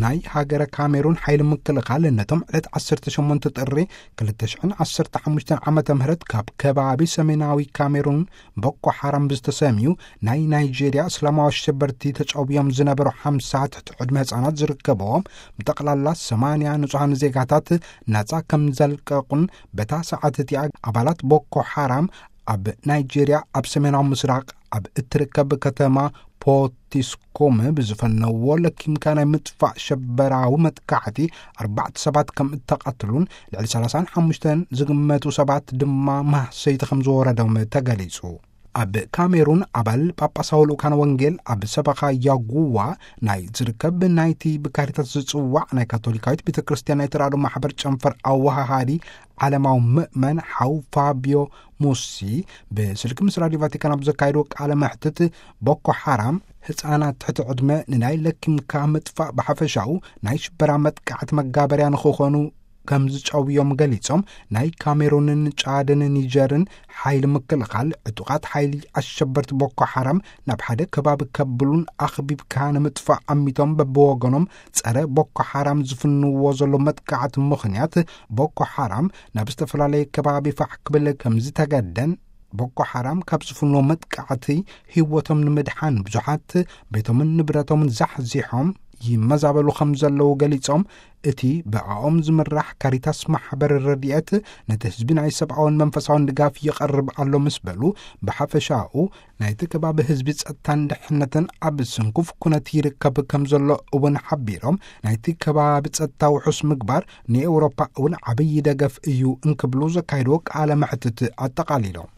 ናይ ሃገረ ካሜሩን ሓይሊ ምክልኻል ነቶም ዕለት ዓሰርተ ሸሞንተ ጥሪ ክልተ ሽሕን ዓሰርተ ሓሙሽተን ዓመተ ምህረት ካብ ከባቢ ሰሜናዊ ካሜሩን ቦኮ ሓራም ዝተሰምዩ ናይ ናይጄርያ እስላማዊ ኣሸበርቲ ተጨውዮም ዝነበሩ ሓምሳ ትሕቲ ዕድመ ህፃናት ዝርከብዎም ብጠቕላላ ሰማንያ ንጹሃን ዜጋታት ናጻ ከም ዘልቀቑን በታ ሰዓት እቲኣ ኣባላት ቦኮ ሓራም ኣብ ናይጄርያ ኣብ ሰሜናዊ ምስራቕ ኣብ እትርከብ ከተማ ፖቲስኮም ብዝፈነዎ ለኪምካ ናይ ምጥፋእ ሸበራዊ መጥቃዕቲ ኣርባዕተ ሰባት ከም እተቐትሉን ልዕሊ ሰላሳን ሓሙሽተን ዝግመቱ ሰባት ድማ ማህሰይቲ ከም ዝወረዶም ተገሊጹ። ኣብ ካሜሩን ኣባል ጳጳሳዊ ልኡካን ወንጌል ኣብ ሰበኻ ያጉዋ ናይ ዝርከብ ናይቲ ብካሪታስ ዝጽዋዕ ናይ ካቶሊካዊት ቤተ ክርስቲያን ናይ ተራድኦ ማሕበር ጨንፈር ኣወሃሃዲ ዓለማዊ ምእመን ሓው ፋቢዮ ሙሲ ብስልኪ ምስ ራዲዮ ቫቲካን ኣብ ዘካየድዎ ቃለ መሕትት ቦኮ ሓራም ህፃናት ትሕቲ ዕድመ ንናይ ለኪምካ ምጥፋእ ብሓፈሻኡ ናይ ሽበራ መጥቃዕቲ መጋበርያ ንክኾኑ ከም ዝጨውዮም ገሊጾም ናይ ካሜሩንን ጫድን ኒጀርን ሓይሊ ምክልኻል ዕጡቓት ሓይሊ ኣሸበርቲ ቦኮ ሓራም ናብ ሓደ ከባቢ ከብሉን ኣኽቢብካ ንምጥፋእ ኣሚቶም በብወገኖም ጸረ ቦኮ ሓራም ዝፍንዎ ዘሎ መጥቃዕቲ ምኽንያት ቦኮ ሓራም ናብ ዝተፈላለየ ከባቢ ፋሕ ክብል ከም ዝተገደን ቦኮ ሓራም ካብ ዝፍንዎ መጥቃዕቲ ህይወቶም ንምድሓን ብዙሓት ቤቶምን ንብረቶምን ዛሕዚሖም ይመዛበሉ ከም ዘለዉ ገሊጾም እቲ ብኣኦም ዝምራሕ ካሪታስ ማሕበር ረድኤት ነቲ ህዝቢ ናይ ሰብኣውን መንፈሳውን ድጋፍ ይቐርብ ኣሎ ምስ በሉ ብሓፈሻኡ ናይቲ ከባቢ ህዝቢ ጸጥታን ድሕነትን ኣብ ስንኩፍ ኩነት ይርከብ ከም ዘሎ እውን ሓቢሮም ናይቲ ከባቢ ጸጥታ ውሑስ ምግባር ንኤውሮፓ እውን ዓብዪ ደገፍ እዩ እንክብሉ ዘካየድዎ ቃለ መሕትት ኣጠቓሊሎም።